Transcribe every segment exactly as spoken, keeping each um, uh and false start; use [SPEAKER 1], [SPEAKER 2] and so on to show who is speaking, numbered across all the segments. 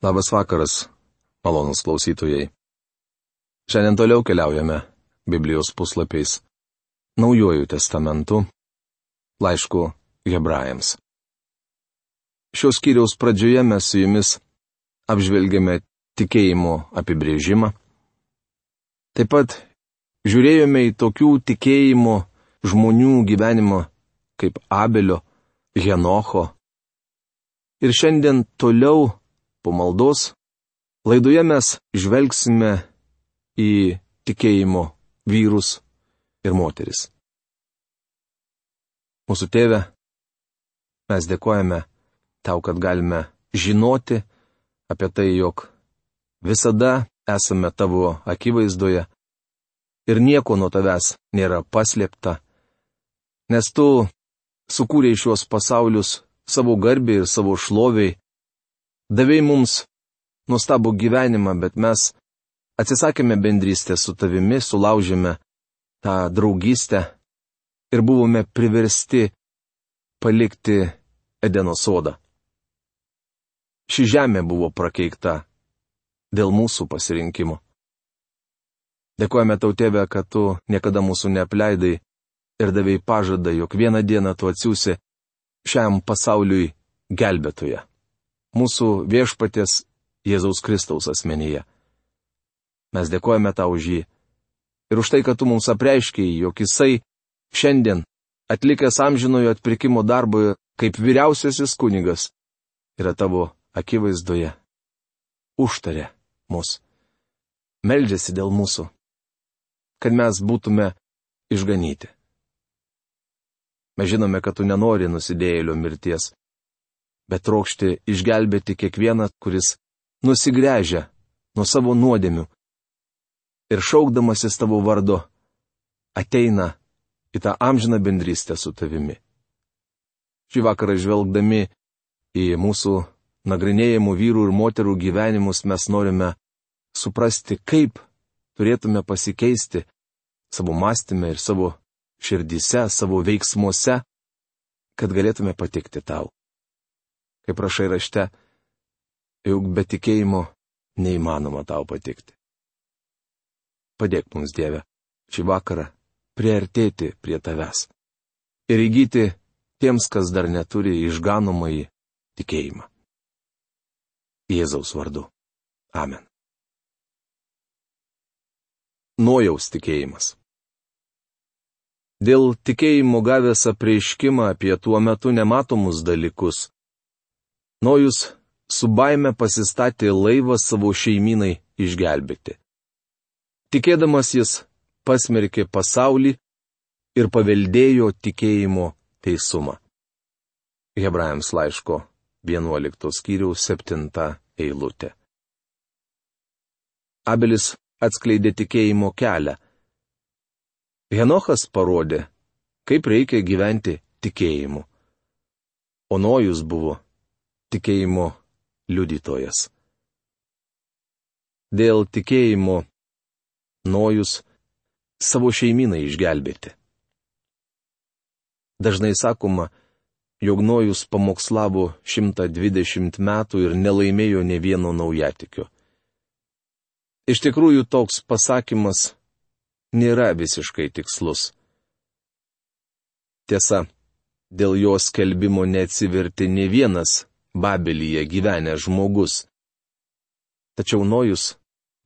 [SPEAKER 1] Labas vakaras, malonus klausytojai. Šiandien toliau keliaujame Biblijos puslapiais Naujuoju testamentu, laišku Hebrajams. Šios skyriaus pradžioje mes su jumis apžvelgėme tikėjimo apibrėžimą. Taip pat žiūrėjome į tokių tikėjimo žmonių gyvenimą kaip Abelio, Henocho. Ir šiandien toliau po maldos laidoje mes žvelgsime į tikėjimo vyrus ir moteris. Mūsų Tėve, mes dėkojame Tau, kad galime žinoti apie tai, jog visada esame Tavo akivaizdoje ir nieko nuo Tavęs nėra paslėpta, nes Tu sukūrei šiuos pasaulius savo garbei ir savo šloviai, davei mums nuostabų gyvenimą, bet mes atsisakėme bendrystę su Tavimi, sulaužėme tą draugystę ir buvome priversti palikti Edeno sodą. Ši žemė buvo prakeikta dėl mūsų pasirinkimo. Dėkojame Tau, Tėve, kad Tu niekada mūsų neapleidai ir davei pažadą, jog vieną dieną Tu atsiųsi šiam pasauliui gelbėtoją, mūsų viešpaties Jėzaus Kristaus asmenyje. Mes dėkojame Tau už jį ir už tai, kad Tu mums apreiškei, jog Jisai šiandien, atlikęs amžinojo atpirkimo darbą kaip vyriausiasis kunigas, yra Tavo akivaizdoje, užtarė mus, meldžiasi dėl mūsų, kad mes būtume išganyti. Mes žinome, kad Tu nenori nusidėjėlio mirties, bet trokšti išgelbėti kiekvieną, kuris nusigręžia nuo savo nuodėmių ir šaukdamasis Tavo vardo ateina į tą amžiną bendrystę su Tavimi. Šį vakarą žvelgdami į mūsų nagrinėjimų vyrų ir moterų gyvenimus mes norime suprasti, kaip turėtume pasikeisti savo mąstyme ir savo širdyse, savo veiksmuose, kad galėtume patikti Tau. Kaip rašai rašte, juk be tikėjimo neįmanoma Tau patikti. Padėk mums, Dieve, šį vakarą priartėti prie Tavęs ir įgyti tiems, kas dar neturi išganomąjį tikėjimą. Jėzaus vardu. Amen. Nojaus tikėjimas. Dėl tikėjimo gavęs apreiškimą apie tuo metu nematomus dalykus, Nojus su baime pasistatė laivą savo šeimynai išgelbėti. Tikėdamas jis pasmerkė pasaulį ir paveldėjo tikėjimo teisumą. Hebrajams laiško vienuoliktos skyriaus septinta eilutė. Abelis atskleidė tikėjimo kelią. Henochas parodė, kaip reikia gyventi tikėjimu. O Nojus buvo tikėjimo liudytojas. Dėl tikėjimo Nojus savo šeimyną išgelbėti. Dažnai sakoma, jog Nojus pamokslavo šimtą dvidešimt metų ir nelaimėjo nė vieno naujatikio. Iš tikrųjų, toks pasakymas nėra visiškai tikslus. Tiesa, dėl jo skelbimo neatsivertė nė vienas Babelyje gyvenęs žmogus. Tačiau Nojus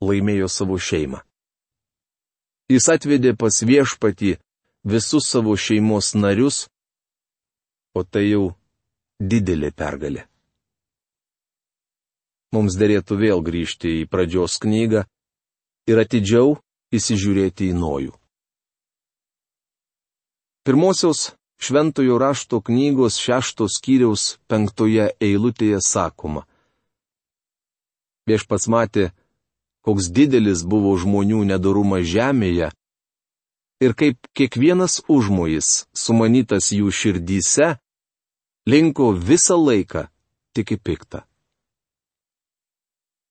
[SPEAKER 1] laimėjo savo šeimą. Jis atvedė pas viešpatį visus savo šeimos narius, o tai jau didelė pergalė. Mums derėtų vėl grįžti į pradžios knygą ir atidžiau įsižiūrėti į Nojų. Pirmosios Šventojo rašto knygos šeštos skyriaus penktoje eilutėje sakoma: Viešpats matė, koks didelis buvo žmonių nedorumas žemėje, ir kaip kiekvienas užmojis, sumanytas jų širdyse, linko visą laiką tik į piktą.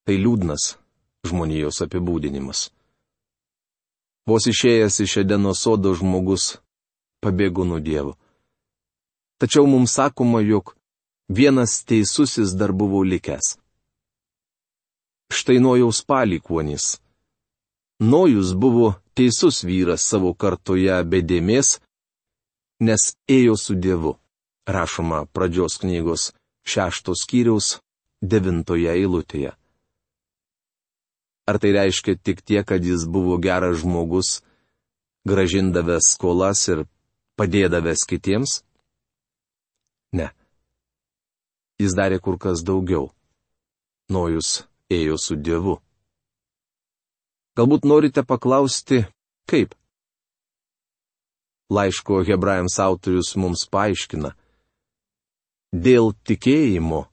[SPEAKER 1] Tai liūdnas žmonijos apibūdinimas. Vos išėjęs iš Edeno sodo žmogus pabėgo nuo Dievo. Tačiau mums sakoma, jog vienas teisusis dar buvo likęs. štai Nojaus palikuonys. Nojus buvo teisus vyras savo kartoje be dėmės, nes ėjo su Dievu, rašoma pradžios knygos šeštos skyriaus devintoje eilutėje. Ar tai reiškia tik tiek, kad jis buvo geras žmogus, grąžindavęs skolas ir padėdavęs kitiems? Ne. Jis darė kur kas daugiau. Nojus ėjo su Dievu. Galbūt norite paklausti, kaip? Laiško Hebrajams autorius mums paaiškina. Dėl tikėjimo,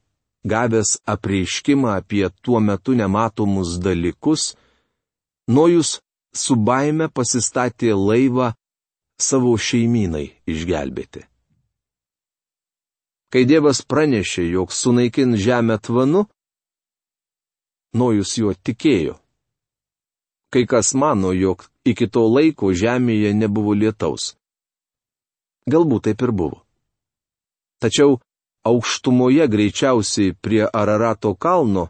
[SPEAKER 1] gavęs apreiškimą apie tuo metu nematomus dalykus, Nojus su baime pasistatė laivą savo šeimynai išgelbėti. Kai Dievas pranešė, jog sunaikin žemę tvanu, Nojus juo tikėjo. Kai kas mano, jog iki to laiko žemėje nebuvo lietaus. Galbūt taip ir buvo. Tačiau aukštumoje greičiausiai prie Ararato kalno,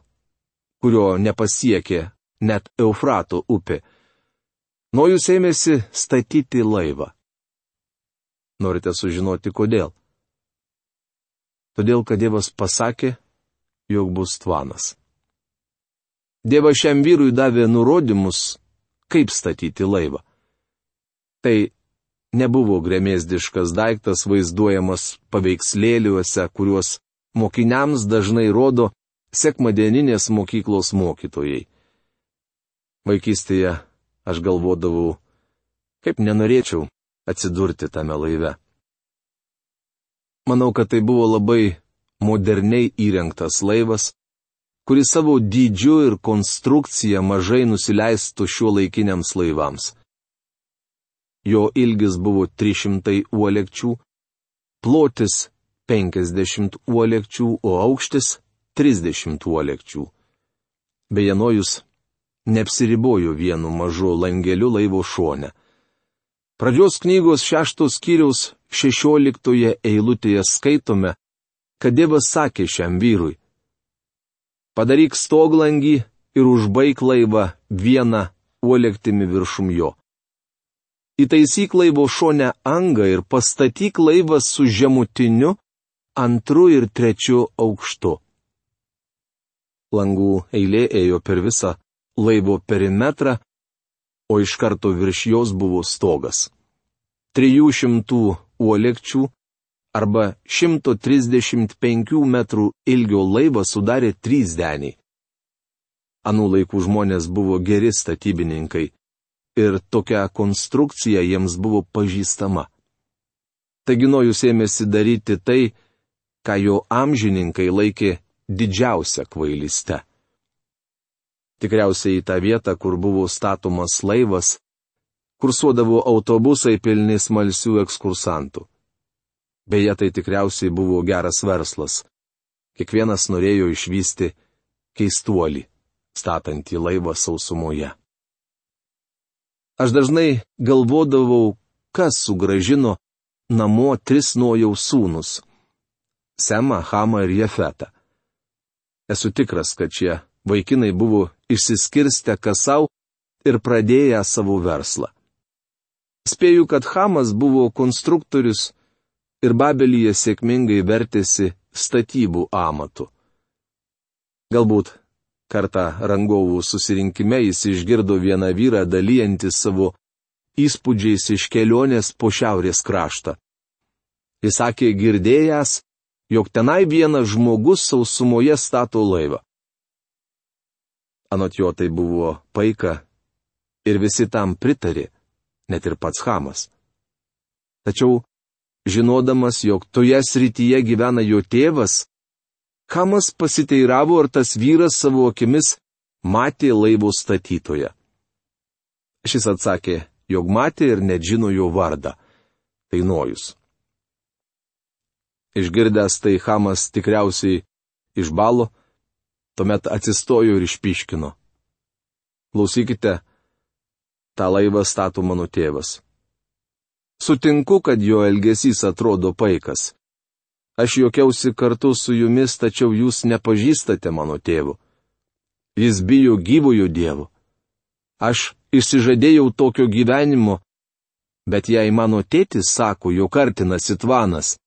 [SPEAKER 1] kurio nepasiekė net Eufrato upė, Nojus ėmėsi statyti laivą. Norite sužinoti kodėl? Todėl, kad Dievas pasakė, jog bus tvanas. Dievas šiam vyrui davė nurodymus, kaip statyti laivą. Tai nebuvo gremėzdiškas daiktas vaizduojamas paveikslėliuose, kuriuos mokiniams dažnai rodo sekmadieninės mokyklos mokytojai. Vaikystėje aš galvodavau, kaip nenorėčiau atsidurti tame laive. Manau, kad tai buvo labai moderniai įrengtas laivas, kuris savo dydžiu ir konstrukcija mažai nusileistų šiuolaikiniams laivams. Jo ilgis buvo trys šimtai uolekčių, plotis penkiasdešimt uolekčių, o aukštis trisdešimt uolekčių. Beje, Nojus neapsiribojo vienu mažu langeliu laivo šone. Pradžios knygos šeštos skyriaus šešioliktoje eilutėje skaitome, kad Dievas sakė šiam vyrui: padaryk stoglangį ir užbaik laivą vieną uolektimi viršum jo. Įtaisyk laivo šone angą ir pastatyk laivą su žemutiniu, antru ir trečiu aukštu. Langų eilė ėjo per visą laivo perimetrą, o iš karto virš jos buvo stogas. Trijų šimtų uolekčių arba šimto trisdešimt penkių metrų ilgio laivą sudarė trys deniai. Anų laikų žmonės buvo geri statybininkai ir tokia konstrukcija jiems buvo pažįstama. Taigi Nojus ėmėsi daryti tai, ką jo amžininkai laikė didžiausia kvailystė. Tikriausiai į tą vietą, kur buvo statomas laivas, kursuodavo autobusai pilni smalsių ekskursantų. Beje, tai tikriausiai buvo geras verslas. Kiekvienas norėjo išvysti keistuolį, statantį laivą sausumoje. Aš dažnai galvodavau, kas sugrąžino namo tris Nojaus sūnus - Semą, Hamą ir Jefetą. Esu tikras, kad šie vaikinai buvo išsiskirstę kas sau ir pradėję savo verslą. Spėju, kad Hamas buvo konstruktorius ir Babelyje sėkmingai vertėsi statybų amatu. Galbūt kartą rangovų susirinkime jis išgirdo vieną vyrą dalyjantį savo įspūdžiais iš kelionės po šiaurės kraštą. Jis sakė girdėjęs, jog tenai vienas žmogus sausumoje stato laivą. Anot jo tai buvo paika ir visi tam pritarė, net ir pats Hamas. Tačiau, žinodamas, jog toje srityje gyvena jo tėvas, Hamas pasiteiravo, ar tas vyras savo akimis matė laivo statytoją. Šis atsakė, jog matė ir net žino jo vardą. Tai Nojus. Išgirdęs tai Hamas tikriausiai išbalo, tuomet atsistojo ir išpyškino. Klausykite, tą laivą stato mano tėvas. Sutinku, kad jo elgesys atrodo paikas. Aš juokiausi kartu su jumis, tačiau jūs nepažįstate mano tėvo. jis bijo gyvojo Dievo. Aš išsižadėjau tokio gyvenimo, bet jei mano tėtis sako, jog artinasi tvanas,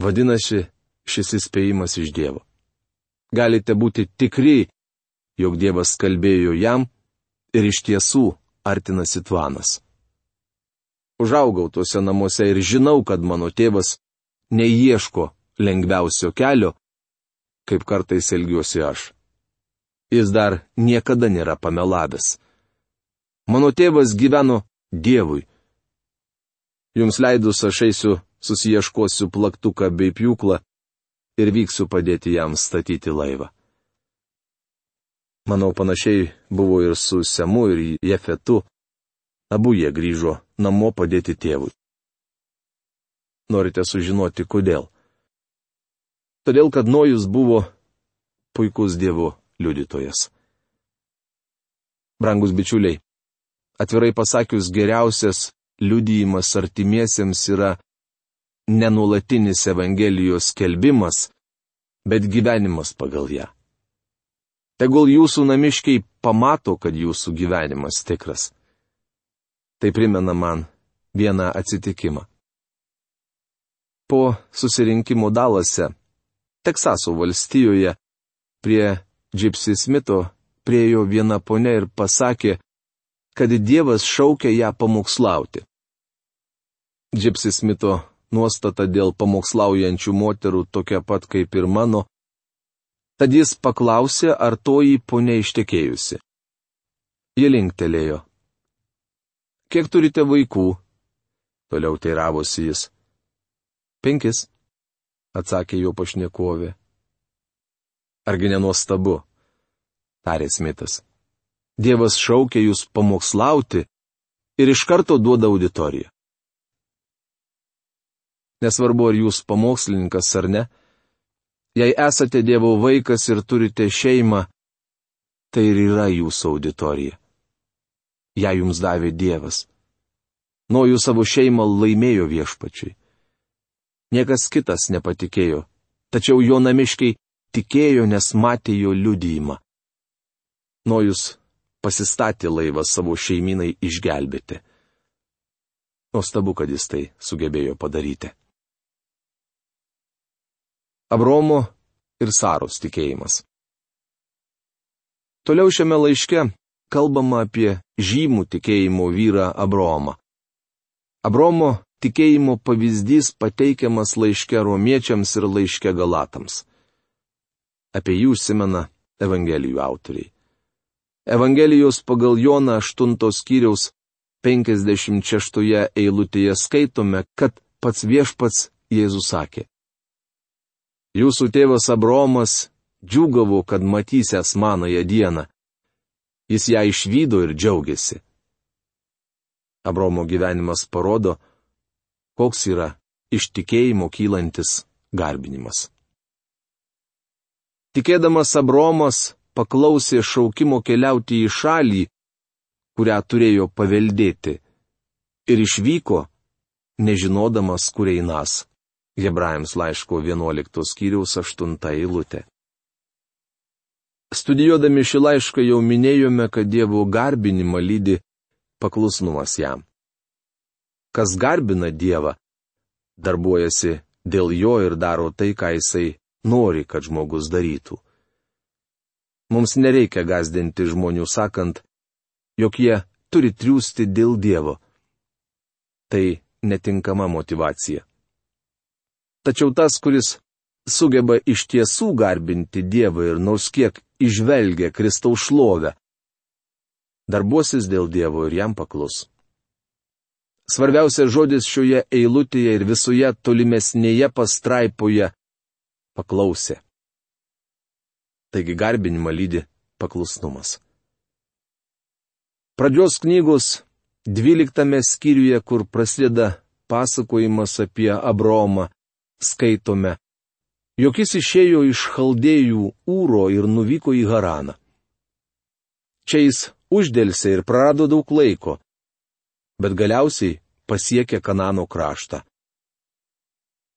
[SPEAKER 1] vadinasi, šis įspėjimas iš Dievo. Galite būti tikri, jog Dievas kalbėjo jam ir iš tiesų artinasi tvanas. Užaugau tuose namuose ir žinau, kad mano tėvas neieško lengviausio kelio, kaip kartais elgiuosi aš. Jis dar niekada nėra pamelavęs. Mano tėvas gyveno Dievui. Jums leidus aš eisiu, susiieškosiu plaktuką bei pjūklą ir vyksiu padėti jam statyti laivą. Manau, panašiai buvo ir su Semu ir Jefetu. Abu jie grįžo namo padėti tėvui. Norite sužinoti, kodėl? Todėl, kad Nojus buvo puikus Dievo liudytojas. Brangus bičiuliai, atvirai pasakius, geriausias liudijimas artimiesiems yra nenuolatinis Evangelijos skelbimas, bet gyvenimas pagal ją. Tegul jūsų namiškiai pamato, kad jūsų gyvenimas tikras. Tai primena man vieną atsitikimą. Po susirinkimo Dalase, Teksaso valstijoje, prie Gypsy Smito priėjo viena ponia ir pasakė, kad Dievas šaukia ją pamokslauti. Gypsy Smito nuostata dėl pamokslaujančių moterų tokia pat kaip ir mano, tad jis paklausė, ar toji ponia ištekėjusi. Ji linktelėjo. Kiek turite vaikų? Toliau teiravosi jis. Penkis, atsakė jo pašnekovė. Argi nenuostabu, tarė Smitas. Dievas šaukia jūs pamokslauti ir iš karto duoda auditoriją. Nesvarbu, ar jūs pamokslininkas ar ne, jei esate Dievo vaikas ir turite šeimą, tai ir yra jūsų auditorija. Ja jums davė Dievas. Nojus savo šeimą laimėjo viešpačiui. Niekas kitas nepatikėjo, tačiau jo namiškiai tikėjo, nes matė jo liudijimą. Nojus pasistatė laivą savo šeiminai išgelbėti. Nuostabu, kad jis tai sugebėjo padaryti. Abraomo ir Saros tikėjimas. Toliau šiame laiške kalbama apie žymų tikėjimo vyrą Abraomą. Abraomo tikėjimo pavyzdys pateikiamas laiške romiečiams ir laiške galatams. Apie jį užsimena Evangelijų autoriai. Evangelijos pagal Joną aštuntos skyriaus penkiasdešimt šeštoje eilutėje skaitome, kad pats viešpats Jėzus sakė: Jūsų tėvas Abraomas džiūgavo, kad matysęs manąją dieną. Jis ją išvydo ir džiaugiasi. Abraomo gyvenimas parodo, koks yra iš tikėjimo kylantis garbinimas. Tikėdamas Abraomas paklausė šaukimo keliauti į šalį, kurią turėjo paveldėti, ir išvyko, nežinodamas, kur einas. Hebrajams laiško vienuoliktos skyriaus aštunta eilutė. Studijuodami šį laišką jau minėjome, kad Dievo garbinimą lydi paklusnumas jam. Kas garbina Dievą, darbuojasi dėl jo ir daro tai, ką jisai nori, kad žmogus darytų. Mums nereikia gąsdinti žmonių sakant, jog jie turi triūsti dėl Dievo. Tai netinkama motyvacija. Tačiau tas, kuris sugeba iš tiesų garbinti Dievą ir nors kiek įžvelgia Kristaus šlovę, darbuosis dėl Dievo ir jam paklus. Svarbiausias žodis šioje eilutėje ir visoje tolimesnėje pastraipoje - paklausė. Taigi garbinimą lydi paklusnumas. Pradžios knygos dvyliktame skyriuje, kur prasideda pasakojimas apie Abraomą, skaitome, jog jis išėjo iš Chaldėjų Ūro ir nuvyko į Haraną. Čia jis uždelsė ir prarado daug laiko, bet galiausiai pasiekė Kanano kraštą.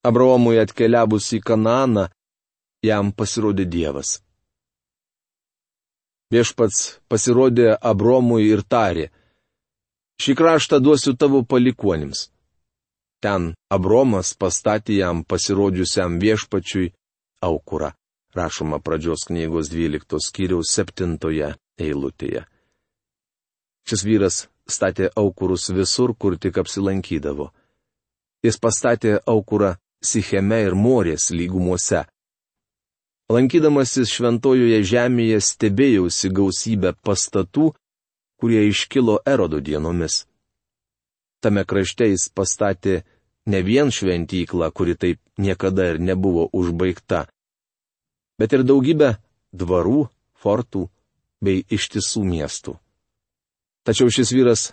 [SPEAKER 1] Abraomui atkeliavus į Kananą, jam pasirodė Dievas. Viešpats pasirodė Abromui ir tarė: šį kraštą duosiu tavo palikuonims. Ten Abromas pastatė jam pasirodžiusiam viešpačiui aukurą. Rašoma Pradžios knygos dvyliktos skyriaus septintoje eilutėje. Šis vyras statė aukurus visur, kur tik apsilankydavo. Jis pastatė aukurą Sicheme ir Morės lygumose. Lankydamasis šventojoje žemėje stebėjausi gausybę pastatų, kurie iškilo Erodo dienomis. Tame krašte jis pastatė ne vien šventyklą, kuri taip niekada ir nebuvo užbaigta, bet ir daugybę dvarų, fortų bei ištisų miestų. Tačiau šis vyras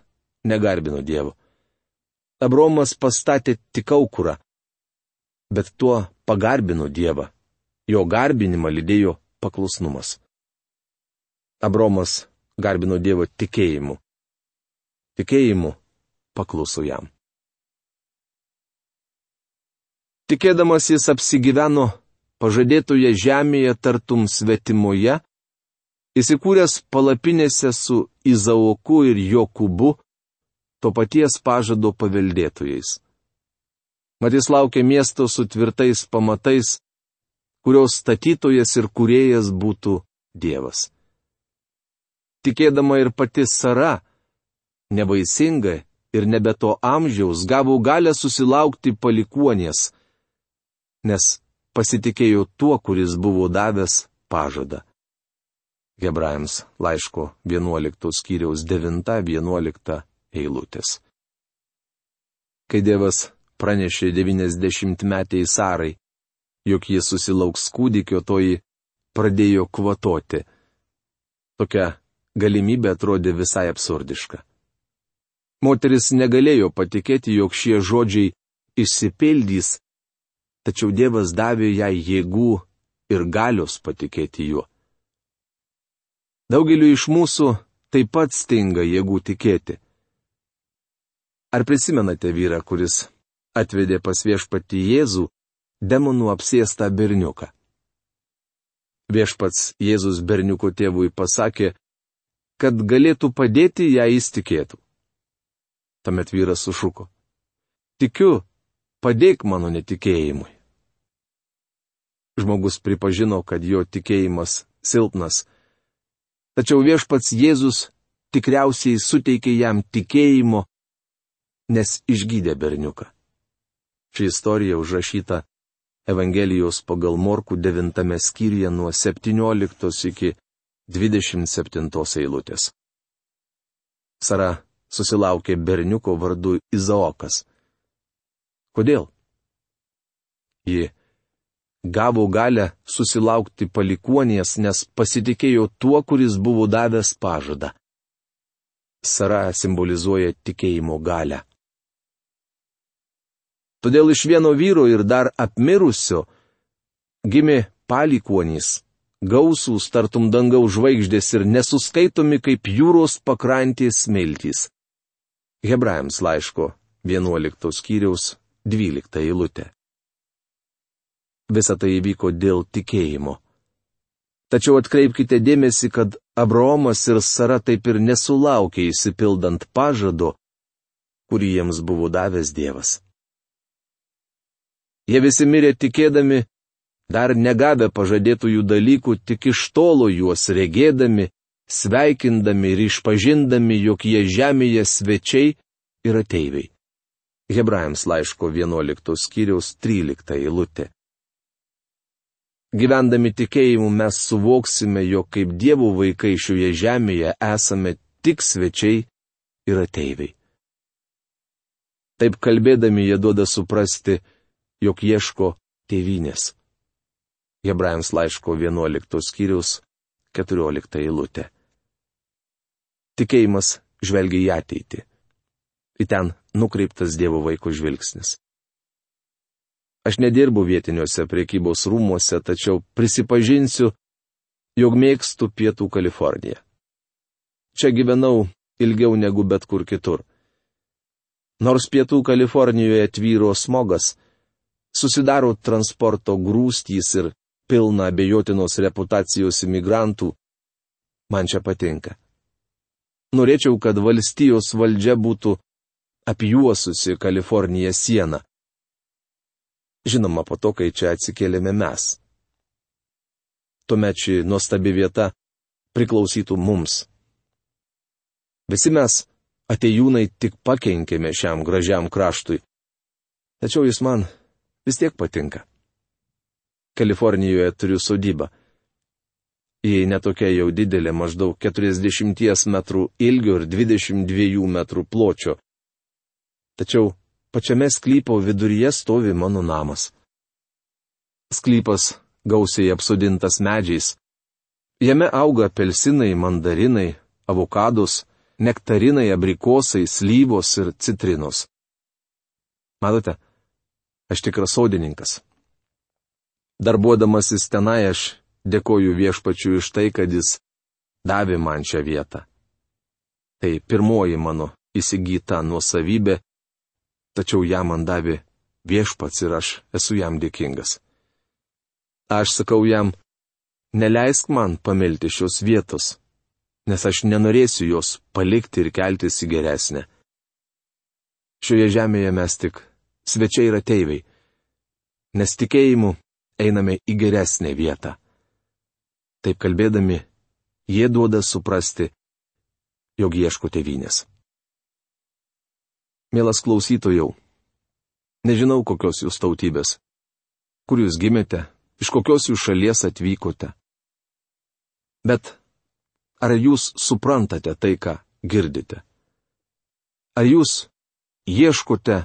[SPEAKER 1] negarbino Dievo. Abromas pastatė tik aukurą, bet tuo pagarbino Dievą. Jo garbinimą lydėjo paklusnumas. Abromas garbino Dievo tikėjimu. Tikėjimu pakluso jam. Tikėdamas jis apsigyveno pažadėtoje žemėje tartum svetimoje, įsikūręs palapinėse su Izaoku ir Jokūbu, to paties pažado paveldėtojais. Mat jis laukė miesto su tvirtais pamatais, kurios statytojas ir kūrėjas būtų Dievas. Tikėdama ir pati Sara, nevaisinga ir nebe to amžiaus, gavo galę susilaukti palikuonies, nes pasitikėjo tuo, kuris buvo davęs pažadą. Hebrajams laiško vienuoliktos skyriaus devinta vienuolikta eilutės. Kai Dievas pranešė devyniasdešimtmetei Sarai, jog jis susilauks kūdikio, toji pradėjo kvatoti. Tokia galimybė atrodė visai absurdiška. Moteris negalėjo patikėti, jog šie žodžiai išsipildys, tačiau Dievas davė jai jėgų ir galios patikėti juo. Daugeliu iš mūsų taip pat stinga jėgų tikėti. Ar prisimenate vyrą, kuris atvedė pas viešpatį Jėzų demonų apsėstą berniuką? Viešpats Jėzus berniuko tėvui pasakė, kad galėtų padėti, jei jis tikėtų. Tuomet vyras sušuko: tikiu, padėk mano netikėjimui. Žmogus pripažino, kad jo tikėjimas silpnas, tačiau viešpats Jėzus tikriausiai suteikė jam tikėjimo, nes išgydė berniuką. Ši istorija užrašyta Evangelijos pagal Morkų devintame skyriuje nuo septynioliktos iki dvidešimt septintos eilutės. Sara susilaukė berniuko vardu Izaokas. Kodėl? Ji gavo galę susilaukti palikuonies, nes pasitikėjo tuo, kuris buvo davęs pažadą. Sara simbolizuoja tikėjimo galią. Todėl iš vieno vyro ir dar apmirusio gimė palikuonys, gausūs tartum dangaus žvaigždės ir nesuskaitomi kaip jūros pakrantės smiltys. Hebrajams laiško vienuoliktos skyriaus dvylikta eilutė. Visa tai įvyko dėl tikėjimo. Tačiau atkreipkite dėmesį, kad Abraomas ir Sara taip ir nesulaukė išsipildant pažado, kurį jiems buvo davęs Dievas. Jie visi mirė tikėdami, dar negavę pažadėtųjų dalykų, tik iš tolo juos regėdami, sveikindami ir išpažindami, jog jie žemėje svečiai ir ateiviai. Hebrajams laiško vienuoliktos skyriaus trylikta eilutė. Gyvendami tikėjimu mes suvoksime, jog kaip Dievo vaikai šioje žemėje esame tik svečiai ir ateiviai. Taip kalbėdami jie duoda suprasti, jog ieško tėvynės. Hebrajams laiško vienuoliktos skyriaus keturiolikta eilutė. Tikėjimas žvelgia į ateitį. Į ten nukreiptas Dievo vaiko žvilgsnis. Aš nedirbu vietiniuose prekybos rūmuose, tačiau prisipažinsiu, jog mėgstu Pietų Kaliforniją. Čia gyvenau ilgiau negu bet kur kitur. Nors Pietų Kalifornijoje tvyro smogas, susidaro transporto grūstys ir pilna abejotinos reputacijos imigrantų, Man čia patinka. Norėčiau, kad valstijos valdžia būtų apjuosusi Kaliforniją sieną. Žinoma, po to, kai čia atsikėlėme mes. Tuomet ši nuostabi vieta priklausytų mums. Visi mes, atėjūnai, tik pakenkėme šiam gražiam kraštui. Tačiau jis man vis tiek patinka. Kalifornijoje turiu sodybą. Ji netokia jau didelė, maždaug keturiasdešimt metrų ilgio ir dvidešimt dviejų metrų pločio. Tačiau pačiame sklypo viduryje stovi mano namas. Sklypas gausiai apsodintas medžiais. Jame auga apelsinai, mandarinai, avokados, nektarinai, abrikosai, slyvos ir citrinos. Matote, aš tikras sodininkas. Darbuodamasis tenai aš dėkoju Viešpačiui už tai, kad jis davė man šią vietą. Tai pirmoji mano įsigyta nuosavybė, tačiau ją man davė Viešpats ir aš esu jam dėkingas. Aš sakau jam, neleisk man pamilti šios vietos, nes aš nenorėsiu jos palikti ir keltis į geresnę. Šioje žemėje mes tik svečiai ir ateiviai, nes tikėjimu einame į geresnę vietą. Taip kalbėdami, jie duoda suprasti, jog ieško tėvynės. Mielas klausytojau, nežinau, kokios jūs tautybės, kur jūs gimėte, iš kokios jūs šalies atvykote. Bet ar jūs suprantate tai, ką girdite? Ar jūs ieškote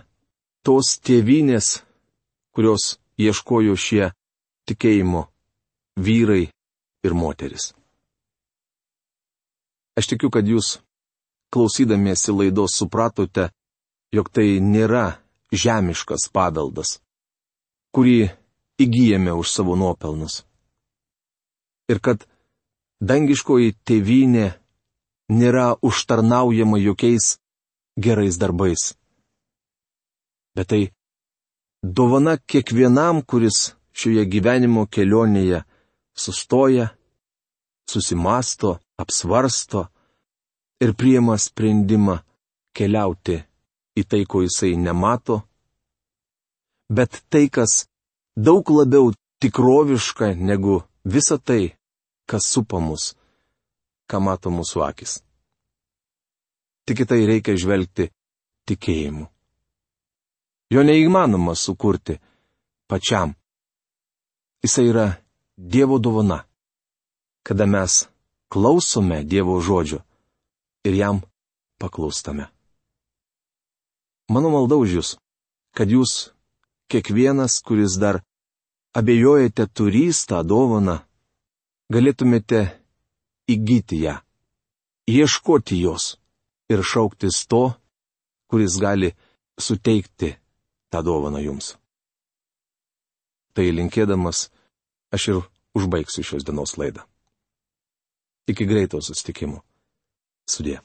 [SPEAKER 1] tos tėvynės, kurios ieškojo šie tikėjimo vyrai ir moteris? Aš tikiu, kad jūs, klausydamiesi laidos, supratote, jog tai nėra žemiškas paveldas, kurį įgyjame už savo nuopelnus. Ir kad dangiškoji tėvynė nėra užtarnaujama jokiais gerais darbais. Bet tai dovana kiekvienam, kuris šioje gyvenimo kelionėje sustoja, susimasto, apsvarsto ir priima sprendimą keliauti į tai, ko jisai nemato, bet tai, kas daug labiau tikroviška negu visa tai, kas supa mus, ką mato mūsų akis. Tik į tai reikia žvelgti tikėjimu. Jo neįmanoma sukurti pačiam. Jisai yra Dievo dovana, kada mes klausome Dievo žodžio ir jam paklūstame. Mano malda už jūs, kad jūs, kiekvienas, kuris dar abejojate turys tą dovaną, galėtumėte įgyti ją, ieškoti jos ir šauktis to, kuris gali suteikti tą dovaną jums. Tai linkėdamas, aš ir užbaigsiu šios dienos laidą. Iki greito susitikimo. Sudie.